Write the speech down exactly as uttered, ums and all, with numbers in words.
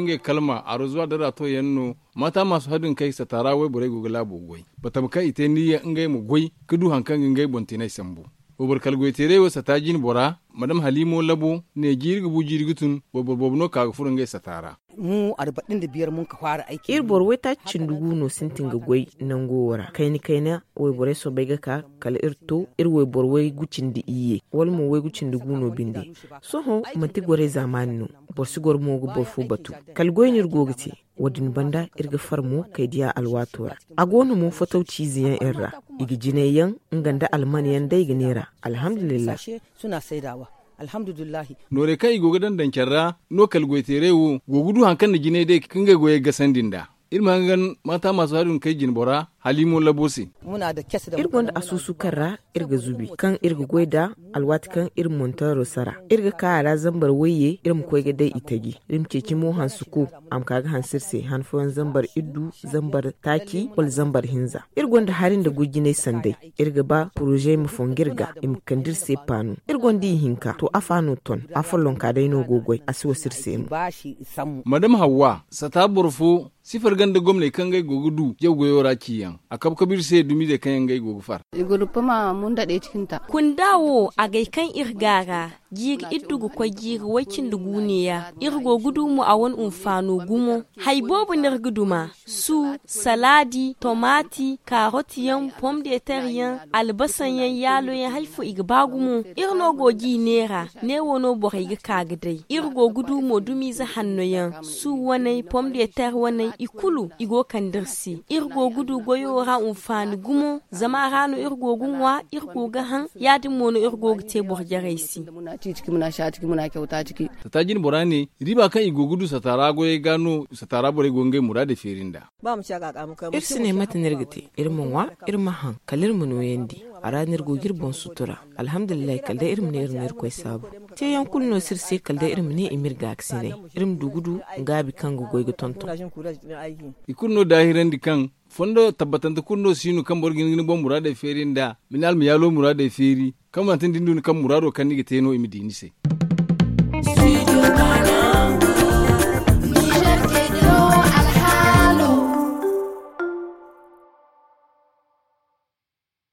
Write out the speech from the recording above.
Ngey kalma arozuwa dara to yaŋ no. Mata maasu hadin kay sata ra wayborey go ga laabo goy, batama kaŋ i te niyya ngey ma goy ka du hari kaŋ ga ngey boŋ tinay sambu. Wayboro kala goyteeray wo sata jine bora madam haliimo labo ne jiiri ga bu jiiri ga tun. Wayboro boobo no ka ga furo ngey sata ra. Iri boro waytaaci cindi gu no sintin ga goy nango wo ra kayna kayna. Wayborey soobay ga ka kala iri to iri wayboro waygu cindi iyye wala mo waygu cindi gu no binde. Sohõ manti gorey zaamaani no. Boro si goro mo ga boro fo batu. Kala goy no iri go ga te. Wo- din banda iri ga far mo kay diya alwaato ra. A go no mo fotow ciize yaŋ iri ra. I ga jinay yaŋ nga nda alman yaŋ day ga neera. Alhamdulillahi. Noorey kaŋ i go ga daŋ daŋ care ra no kala goyteeray wo go ga du hari kaŋ na jinay day ka ngey goyey gasandi nd'a. Iri ma hangan maata maasu hari din kay jine bora haliimo labo se. Iri gonda asuusu kaŋ ra iri ga zubi kaŋ iri ga goy nd'a. Alwaati kaŋ iri monteero sara iri ga ka a ra zambar wayye iri ma koy ga day i taji. Iri ma ceeci mo hanse ko a ma ka ga hanse iri se han fooyaŋ zambar iddu, zambar taaci wala zambar hinza. Iri gonda hari nda gurjinay sanday. Iri ga ba poroze ma fongu iri ga i ma kande iri se paanu. Iri gonda ihinka to afa no ton. Afollonka day no go goy a si wasa iri se no. Madam hawwa sata boro fo sifar ganda gomney kaŋ ngey go ga du jaw goyo ra ciyaŋ. A kabu kabu iri se dumizey kaŋ yaŋ ngey go ga far. Kunda wo agay kaŋ iri ga a ra jiiri iddu ga koy jiiri way-cindi guuneya. Iri go ga du mo a wane hunfaano gumo. Hari boobo no iri ga duma su, salaadi, tomaati, kaarotiyaŋ, pomdeteryaŋ, albasayaŋ yaaloyaŋ hari fo i ga ba gumo. Iri no go g'i neera. Ne wo no borey ga ka ga day iri go ga du mo dumiize hannoyaŋ su waney pomdeter waney i kulu i go kande iri se. Iri go ga du goyo ra hunfaani gumo zama a ra no iri go ga ŋwa iri go ga haŋ. Ya- din mo no iri go ga te boro jarey se. Sata jine bora ne riiba kaŋ i go ga du sata ra goyey ga no sata ra borey go ga ngey muraadey feeri nd'a. Iri si ne mate no iri ga te. Iri ma ŋwa iri ma haŋ kala iri ma nooyandi. A ra no iri go ga iri boŋ sutura. Alhamdulillahi kala day iri ma ne iri na irkoy saabu. Teeyaŋ kulu no si iri se kala day iri ma ne i ma iri gaakasinay. Iri ma du ga du gaabi kaŋ ga goy ga tonton. I kulu no daahirandi kaŋ fondo tabbatante kulu no si no kaŋ boro ga hin ga ni boŋ muraadey feeri nd'a ma ne almayaalo muraadey feeri. Kaŋ manti ni da ni du ni kaŋ muraado kaŋ ni ga te no i ma di ni se.